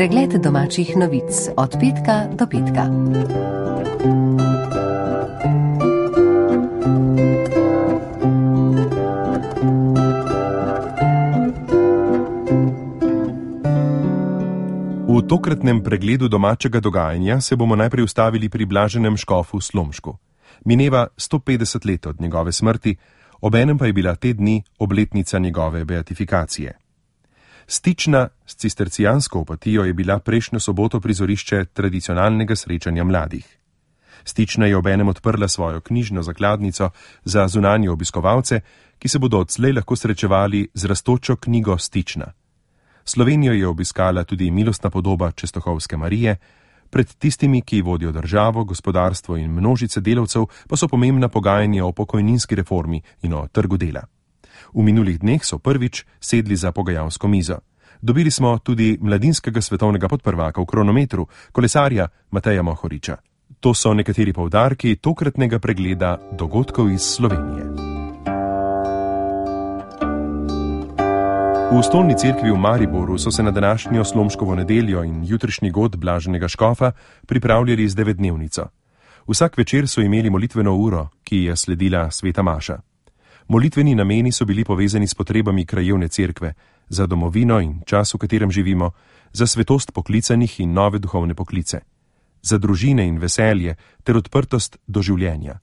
Pregled domačih novic od petka do petka. V tokratnem pregledu domačega dogajanja se bomo najprej ustavili pri blaženem škofu Slomšku. Mineva 150 let od njegove smrti, obenem pa je bila te dni obletnica njegove beatifikacije. Stična s cistercijansko opatijo je bila prejšnjo soboto prizorišče tradicionalnega srečanja mladih. Stična je obenem odprla svojo knjižno zakladnico za zunanje obiskovalce, ki se bodo odslej lahko srečevali z rastočo knjigo Stična. Slovenijo je obiskala tudi milostna podoba Čestohovske Marije, pred tistimi, ki vodijo državo, gospodarstvo in množice delavcev, pa so pomembna pogajanja o pokojninski reformi in o trgu dela. V minulih dneh so prvič sedli za pogajalsko mizo. Dobili smo tudi mladinskega svetovnega podprvaka v kronometru, kolesarja Mateja Mohoriča. To so nekateri poudarki tokratnega pregleda dogodkov iz Slovenije. V stolni cerkvi v Mariboru so se na današnjo Slomškovo nedeljo in jutrišnji god blaženega škofa pripravljali z 9-dnevnico. Vsak večer so imeli molitveno uro, ki je sledila sveta maša. Molitveni nameni so bili povezani s potrebami krajevne cerkve, za domovino in čas, v katerem živimo, za svetost poklicanih in nove duhovne poklice, za družine in veselje ter odprtost do življenja,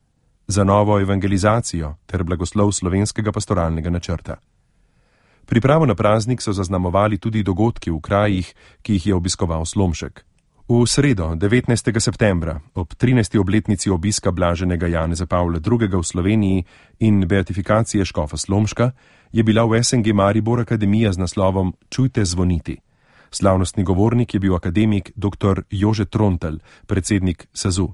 za novo evangelizacijo ter blagoslov slovenskega pastoralnega načrta. Pripravo na praznik so zaznamovali tudi dogodki v krajih, ki jih je obiskoval Slomšek. V sredo, 19. septembra, ob 13. obletnici obiska blaženega Janeza Pavla II. V Sloveniji in beatifikacije škofa Slomška, je bila v SNG Maribor akademija z naslovom Čujte zvoniti. Slavnostni govornik je bil akademik dr. Jože Trontelj, predsednik SAZU.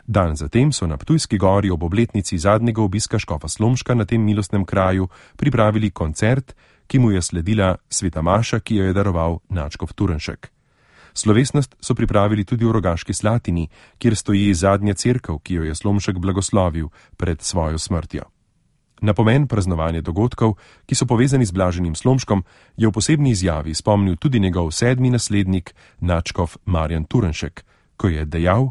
Dan zatem so na Ptujski gori ob obletnici zadnjega obiska škofa Slomška na tem milostnem kraju pripravili koncert, ki mu je sledila sveta maša, ki jo je daroval nadškof Turnšek. Slovesnost so pripravili tudi v Rogaški Slatini, kjer stoji zadnja cerkev, ki jo je Slomšek blagoslovil pred svojo smrtjo. Na pomen praznovanja dogodkov, ki so povezani z blaženim Slomškom, je v posebni izjavi spomnil tudi njegov 7. naslednik, nadškof Marjan Turnšek, ko je dejal: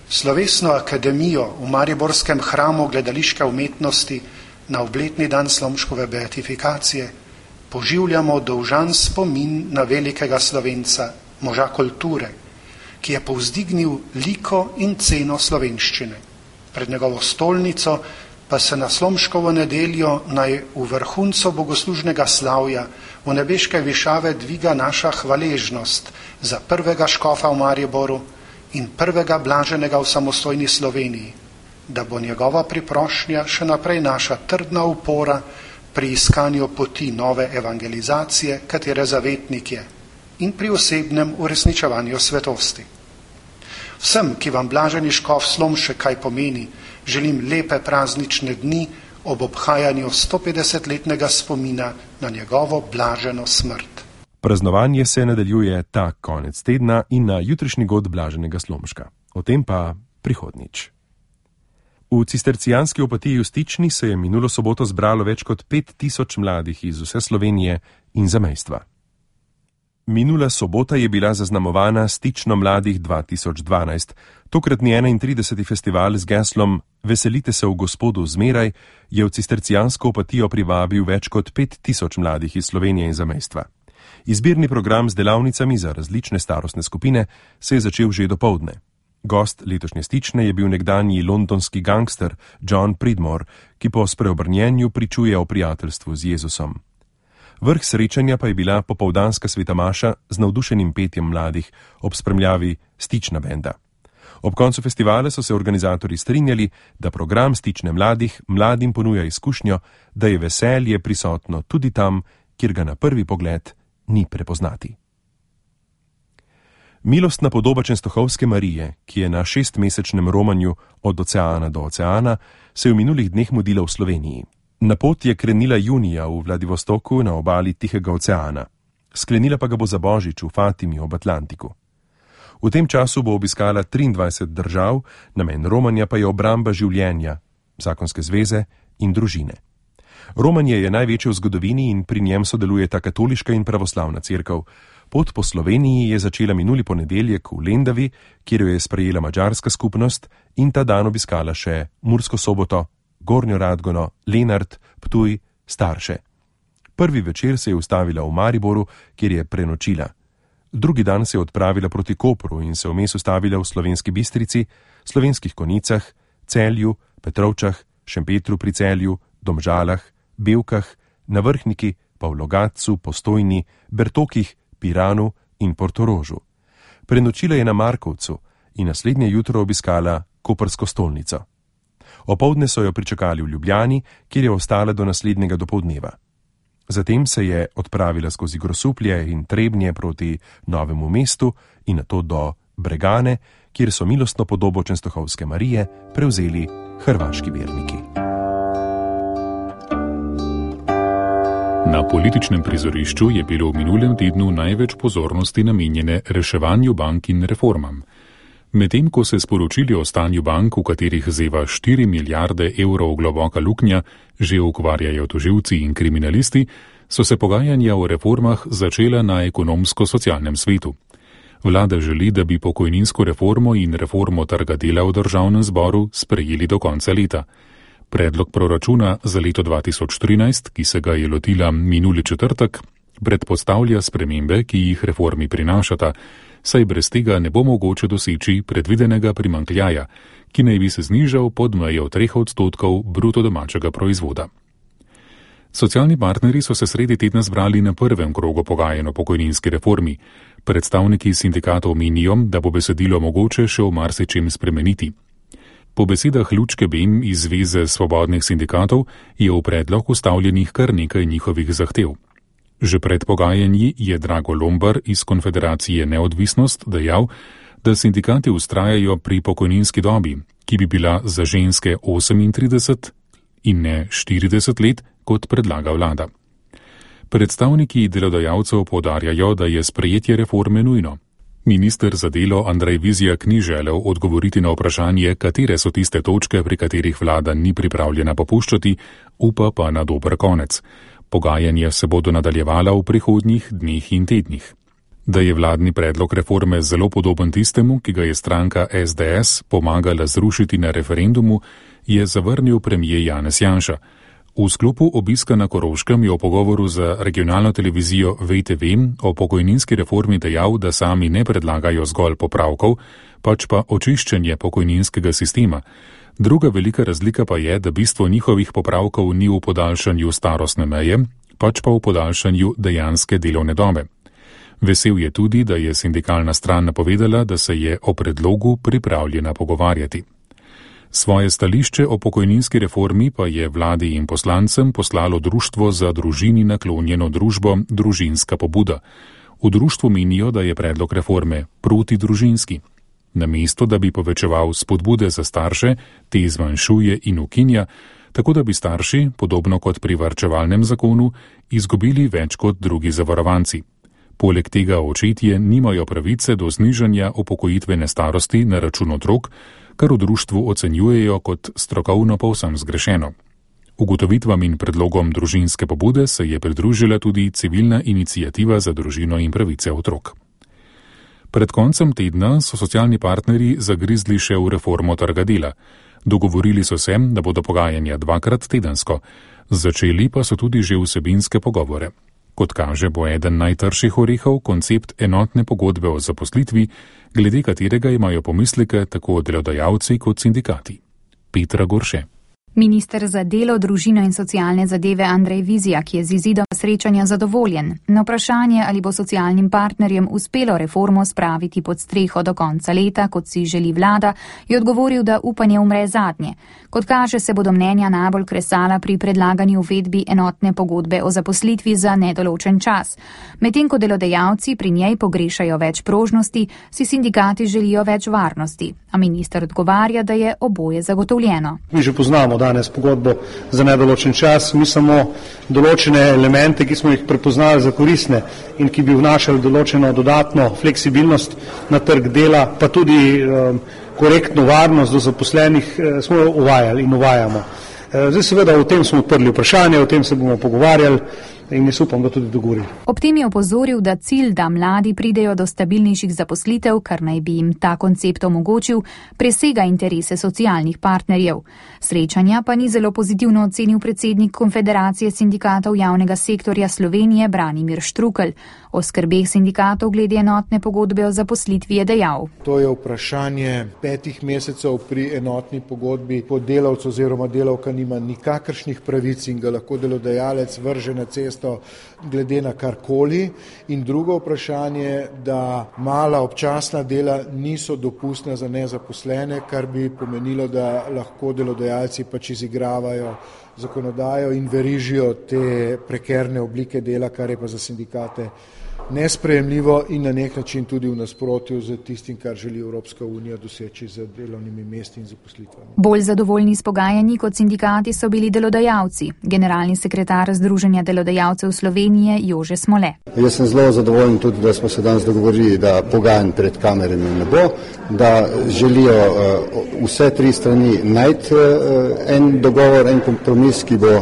Slovesno akademijo v mariborskem hramu gledališke umetnosti na obletni dan Slomškove beatifikacije poživljamo dolžan spomin na velikega Slovenca, moža kulture, ki je povzdignil liko in ceno slovenščine. Pred njegovo stolnico pa se na Slomškovo nedeljo naj v vrhuncu bogoslužnega slavja v nebeške višave dviga naša hvaležnost za prvega škofa v Mariboru in prvega blaženega v samostojni Sloveniji, da bo njegova priprošnja še naprej naša trdna upora pri iskanju poti nove evangelizacije, katere zavetnik je, in pri osebnem uresničevanju svetosti. Vsem, ki vam blaženi škof Slomšek kaj pomeni, želim lepe praznične dni ob obhajanju 150-letnega spomina na njegovo blaženo smrt. Praznovanje se nadaljuje ta konec tedna in na jutrišnji god blaženega Slomška. O tem pa prihodnjič. V cistercijanski opatiji v Stični se je minulo soboto zbralo več kot 5000 mladih iz vse Slovenije in zamejstva. Minula sobota je bila zaznamovana Stično mladih 2012. Tokratni 31. festival z geslom Veselite se v Gospodu zmeraj je v cistercijansko opatijo privabil več kot 5000 mladih iz Slovenije in zamejstva. Izbirni program z delavnicami za različne starostne skupine se je začel že dopoldne. Gost letošnje Stične je bil nekdanji londonski gangster John Pridmore, ki po spreobrnjenju pričuje o prijateljstvu z Jezusom. Vrh srečanja pa je bila popoldanska sveta maša z navdušenim petjem mladih ob spremljavi Stična benda. Ob koncu festivala so se organizatorji strinjali, da program Stične mladih mladim ponuja izkušnjo, da je veselje prisotno tudi tam, kjer ga na prvi pogled ni prepoznati. Milostna podoba Čestohovske Marije, ki je na 6-mesečnem romanju od oceana do oceana, se je v minulih dneh mudila v Sloveniji. Na pot je krenila junija v Vladivostoku na obali Tihega oceana. Sklenila pa ga bo za Božič v Fatimi ob Atlantiku. V tem času bo obiskala 23 držav, namen romanja pa je obramba življenja, zakonske zveze in družine. Romanje je največje v zgodovini in pri njem sodelujeta katoliška in pravoslavna cerkev. Pot po Sloveniji je začela minuli ponedeljek v Lendavi, kjer jo je sprejela madžarska skupnost in ta dan obiskala še Mursko Soboto, Gornjo Radgono, Lenart, Ptuj, Starše. Prvi večer se je ustavila v Mariboru, kjer je prenočila. Drugi dan se je odpravila proti Kopru in se vmes ustavila v Slovenski Bistrici, Slovenskih Konjicah, Celju, Petrovčah, Šempetru pri Celju, Domžalah, Bevkah, na Vrhniki, pa v Logatcu, Postojni, Bertokih, Piranu in Portorožu. Prenočila je na Markovcu in naslednje jutro obiskala koprsko stolnico. Opoldne so jo pričakali v Ljubljani, kjer je ostala do naslednjega dopoldneva. Zatem se je odpravila skozi Grosuplje in Trebnje proti Novemu mestu in nato do Bregane, kjer so milostno podobo Čenstohovske Marije prevzeli hrvaški verniki. Na političnem prizorišču je bilo v minulem tednu največ pozornosti namenjene reševanju bank in reformam. Medtem ko se sporočili o stanju bank, v katerih zeva 4 milijarde evrov globoka luknja, že ukvarjajo tožilci in kriminalisti, so se pogajanja o reformah začela na ekonomsko-socialnem svetu. Vlada želi, da bi pokojninsko reformo in reformo trga dela v državnem zboru sprejeli do konca leta. Predlog proračuna za leto 2013, ki se ga je lotila minuli četrtek, predpostavlja spremembe, ki jih reformi prinašata, saj brez tega ne bo mogoče doseči predvidenega primanjkljaja, ki naj bi se znižal pod mejo 3% bruto domačega proizvoda. Socialni partnerji so se sredi tedna zbrali na prvem krogu pogajanj o pokojninski reformi. Predstavniki sindikatov menijo, da bo besedilo mogoče še v marsičem spremeniti. Po besedah Lučke Bem iz Zveze svobodnih sindikatov je v predlog vstavljenih kar nekaj njihovih zahtev. Že pred pogajanji je Drago Lombar iz Konfederacije Neodvisnost dejal, da sindikati vztrajajo pri pokojninski dobi, ki bi bila za ženske 38 in ne 40 let, kot predlaga vlada. Predstavniki delodajalcev poudarjajo, da je sprejetje reforme nujno. Minister za delo Andrej Vizjak ni želel odgovoriti na vprašanje, katere so tiste točke, pri katerih vlada ni pripravljena popuščati, upa pa na dober konec. Pogajanja se bodo nadaljevala v prihodnjih dneh in tednih. Da je vladni predlog reforme zelo podoben tistemu, ki ga je stranka SDS pomagala zrušiti na referendumu, je zavrnil premier Janez Janša. V sklopu obiska na Koroškem je v pogovoru za regionalno televizijo VTV o pokojninski reformi dejal, da sami ne predlagajo zgolj popravkov, pač pa očiščenje pokojninskega sistema. Druga velika razlika pa je, da bistvo njihovih popravkov ni v podaljšanju starostne meje, pač pa v podaljšanju dejanske delovne dobe. Vesel je tudi, da je sindikalna stran napovedala, da se je o predlogu pripravljena pogovarjati. Svoje stališče o pokojninski reformi pa je vladi in poslancem poslalo Društvo za družini naklonjeno družbo Družinska pobuda. V društvu menijo, da je predlog reforme protidružinski. Namesto, da bi povečeval spodbude za starše, te zmanjšuje in ukinja, tako da bi starši, podobno kot pri varčevalnem zakonu, izgubili več kot drugi zavarovanci. Poleg tega očetje nimajo pravice do znižanja upokojitvene starosti na račun otrok, kar v društvu ocenjujejo kot strokovno povsem zgrešeno. Ugotovitvam in predlogom družinske pobude se je pridružila tudi civilna iniciativa za družino in pravice otrok. Pred koncem tedna so socialni partnerji zagrizli še v reformo trga dela. Dogovorili so se, da bodo pogajanja 2krat tedensko. Začeli pa so tudi že vsebinske pogovore. Kot kaže, bo eden najtrših orehov koncept enotne pogodbe o zaposlitvi, glede katerega imajo pomisleke tako delodajalci kot sindikati. Petra Gorše. Minister za delo, družino in socialne zadeve Andrej Vizjak je z izidom srečanja zadovoljen. Na vprašanje, ali bo socialnim partnerjem uspelo reformo spraviti pod streho do konca leta, kot si želi vlada, je odgovoril, da upanje umre zadnje. Kot kaže, se bodo mnenja najbolj kresala pri predlagani uvedbi enotne pogodbe o zaposlitvi za nedoločen čas. Medtem ko delodajalci pri njej pogrešajo več prožnosti, si sindikati želijo več varnosti. A minister odgovarja, da je oboje zagotovljeno. Mi že poznamo danes pogodbo za nedoločen čas, mi samo določene elemente, ki smo jih prepoznali za koristne in ki bi vnašali določeno dodatno fleksibilnost na trg dela, pa tudi korektno varnost do zaposlenih, smo uvajali in uvajamo. Zdaj seveda o tem smo odprli vprašanje, o tem se bomo pogovarjali. in jaz upam, da tudi dogovorili. Ob tem je opozoril, da cilj, da mladi pridejo do stabilnejših zaposlitev, kar naj bi jim ta koncept omogočil, presega interese socialnih partnerjev. Srečanja pa ni zelo pozitivno ocenil predsednik Konfederacije sindikatov javnega sektorja Slovenije Branimir Štrukelj. O skrbeh sindikatov glede enotne pogodbe o zaposlitvi je dejal. To je vprašanje 5 mesecev pri enotni pogodbi, ko delavec oziroma delavka nima nikakršnih pravic in ga lahko delodajalec vrže na cesto glede na karkoli. In drugo vprašanje, da mala občasna dela niso dopustna za nezaposlene, kar bi pomenilo, da lahko delodajalci pač izigravajo zakonodajo in verižijo te prekerne oblike dela, kar je pa za sindikate nesprejemljivo in na nek način tudi v nasprotju z tistim, kar želi Evropska unija doseči z delovnimi mesti in zaposlitvami. Bolj zadovoljni s pogajanji kot sindikati so bili delodajalci. Generalni sekretar Združenja delodajalcev Slovenije Jože Smole. Jaz sem zelo zadovoljen tudi, da smo se danes dogovorili, da pogajanj pred kamerami ne bo, da želijo vse 3 strani najti en dogovor, en kompromis, ki bo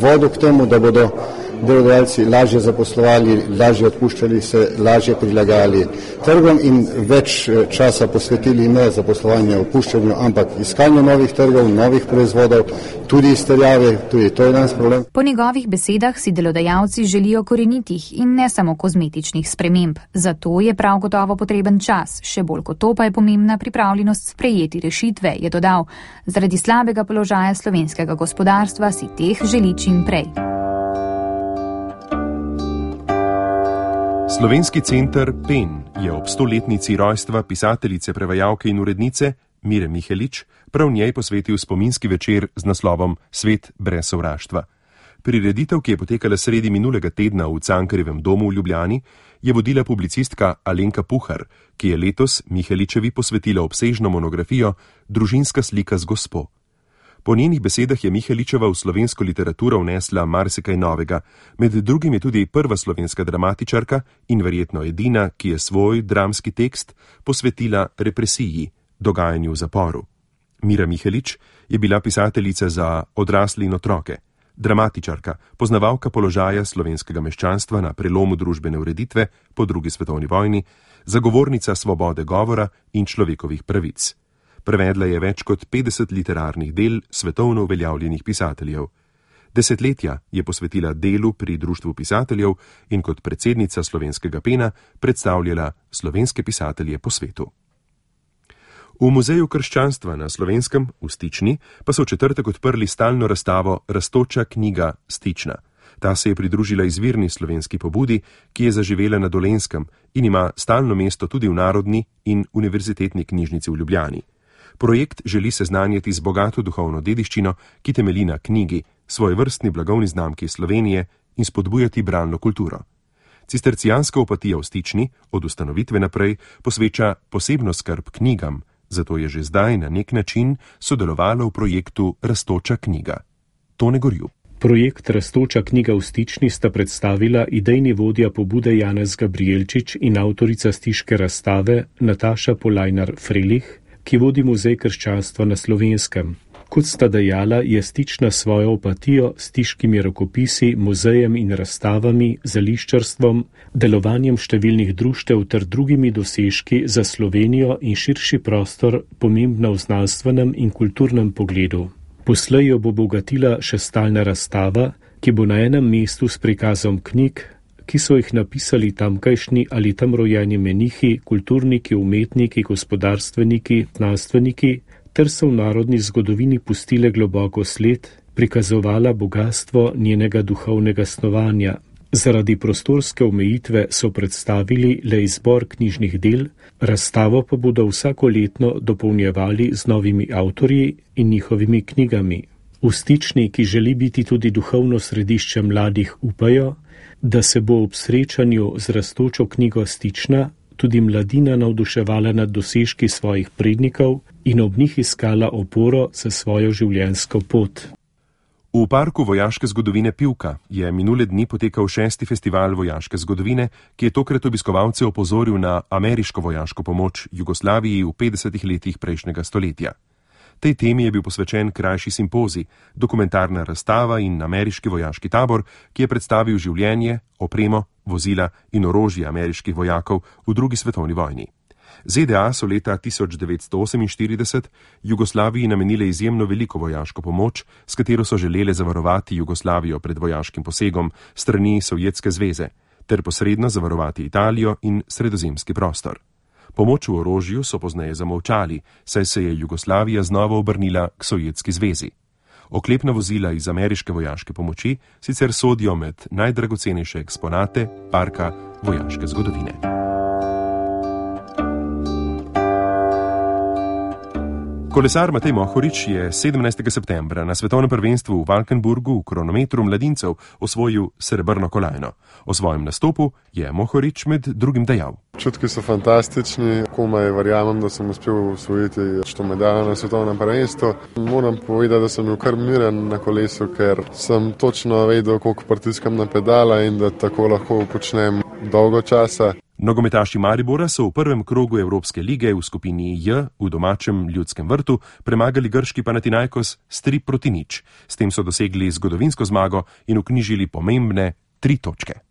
vodil k temu, da bodo delodajalci lažje zaposlovali, lažje odpuščali se, lažje prilagajali trgom in več časa posvetili ne zaposlovanju, odpuščanju, ampak iskanju novih trgov, novih proizvodov, tudi izterjave, tudi to je danes problem. Po njegovih besedah si delodajalci želijo korenitih in ne samo kozmetičnih sprememb. Zato je prav gotovo potreben čas, še bolj kot to pa je pomembna pripravljenost sprejeti rešitve, je dodal. Zaradi slabega položaja slovenskega gospodarstva si teh želi čim prej. Slovenski center PEN je ob 100-letnici rojstva pisateljice, prevajalke in urednice Mire Mihelič prav njej posvetil spominski večer z naslovom Svet brez sovraštva. Prireditev, ki je potekala sredi minulega tedna v Cankarjevem domu v Ljubljani, je vodila publicistka Alenka Puhar, ki je letos Miheličevi posvetila obsežno monografijo Družinska slika z gospo. Po njenih besedah je Miheličeva v slovensko literaturo vnesla marsikaj novega, med drugim je tudi prva slovenska dramatičarka in verjetno edina, ki je svoj dramski tekst posvetila represiji, dogajanju v zaporu. Mira Mihelič je bila pisateljica za odrasle in otroke, dramatičarka, poznavalka položaja slovenskega meščanstva na prelomu družbene ureditve po 2. svetovni vojni, zagovornica svobode govora in človekovih pravic. Prevedla je več kot 50 literarnih del svetovno uveljavljenih pisateljev. Desetletja je posvetila delu pri Društvu pisateljev in kot predsednica slovenskega PEN-a predstavljala slovenske pisatelje po svetu. V Muzeju krščanstva na Slovenskem v Stični pa so v četrtek odprli stalno razstavo Rastoča knjiga Stična. Ta se je pridružila izvirni slovenski pobudi, ki je zaživela na Dolenjskem in ima stalno mesto tudi v Narodni in Univerzitetni knjižnici v Ljubljani. Projekt želi seznanjati z bogato duhovno dediščino, ki temelji na knjigi, svojevrstni blagovni znamki Slovenije in spodbujati bralno kulturo. Cistercijanska opatija v Stični od ustanovitve naprej posveča posebno skrb knjigam, zato je že zdaj na nek način sodelovala v projektu Rastoča knjiga. Tone Gorjup. Projekt Rastoča knjiga v Stični sta predstavila idejni vodja pobude Janez Gabrielčič in avtorica stiške razstave Nataša Polajnar-Frelih, ki vodi Muzej krščanstva na Slovenskem. Kot sta dejala, je Stična svojo opatijo s stiškimi rokopisi, muzejem in razstavami, zališčarstvom, delovanjem številnih društev ter drugimi dosežki za Slovenijo in širši prostor pomembna v znanstvenem in kulturnem pogledu. Poslej jo bo bogatila še stalna razstava, ki bo na enem mestu s prikazom knjig, ki so jih napisali tamkajšnji ali tam rojeni menihi, kulturniki, umetniki, gospodarstveniki, znanstveniki, ter so v narodni zgodovini pustile globoko sled, prikazovala bogatstvo njenega duhovnega snovanja. Zaradi prostorske omejitve so predstavili le izbor knjižnih del, razstavo pa bodo vsakoletno dopolnjevali z novimi avtorji in njihovimi knjigami. V Stični, ki želi biti tudi duhovno središče mladih, upajo, da se bo ob srečanju z Rastočo knjigo Stična tudi mladina navduševala nad dosežki svojih prednikov in ob njih iskala oporo za svojo življenjsko pot. V parku vojaške zgodovine Pivka je minule dni potekal 6. festival vojaške zgodovine, ki je tokrat obiskovalce opozoril na ameriško vojaško pomoč Jugoslaviji v 50 letih prejšnjega stoletja. Tej temi je bil posvečen krajši simpozij, dokumentarna razstava in ameriški vojaški tabor, ki je predstavil življenje, opremo, vozila in orožje ameriških vojakov v drugi svetovni vojni. ZDA so leta 1948 Jugoslaviji namenile izjemno veliko vojaško pomoč, s katero so želele zavarovati Jugoslavijo pred vojaškim posegom strani Sovjetske zveze, ter posredno zavarovati Italijo in sredozemski prostor. Pomoč v orožju so pozneje zamolčali, saj se je Jugoslavija znova obrnila k Sovjetski zvezi. Oklepna vozila iz ameriške vojaške pomoči sicer sodijo med najdragocenejše eksponate parka vojaške zgodovine. Kolesar Matej Mohorič je 17. septembra na svetovnem prvenstvu v Valkenburgu v kronometru mladincev osvojil srebrno kolajno. O svojem nastopu je Mohorič med drugim dejal. Čutki so fantastični, komaj verjamem, da sem uspel osvojiti što medaljo na svetovnem prvenstvu. Moram povedati, da sem bil kar miren na kolesu, ker sem točno vedel, koliko pritiskam na pedala in da tako lahko počnem dolgo časa. Nogometaši Maribora so v prvem krogu Evropske lige v skupini J v domačem Ljudskem vrtu premagali grški Panathinaikos s 3-0. S tem so dosegli zgodovinsko zmago in vknjižili pomembne 3 točke.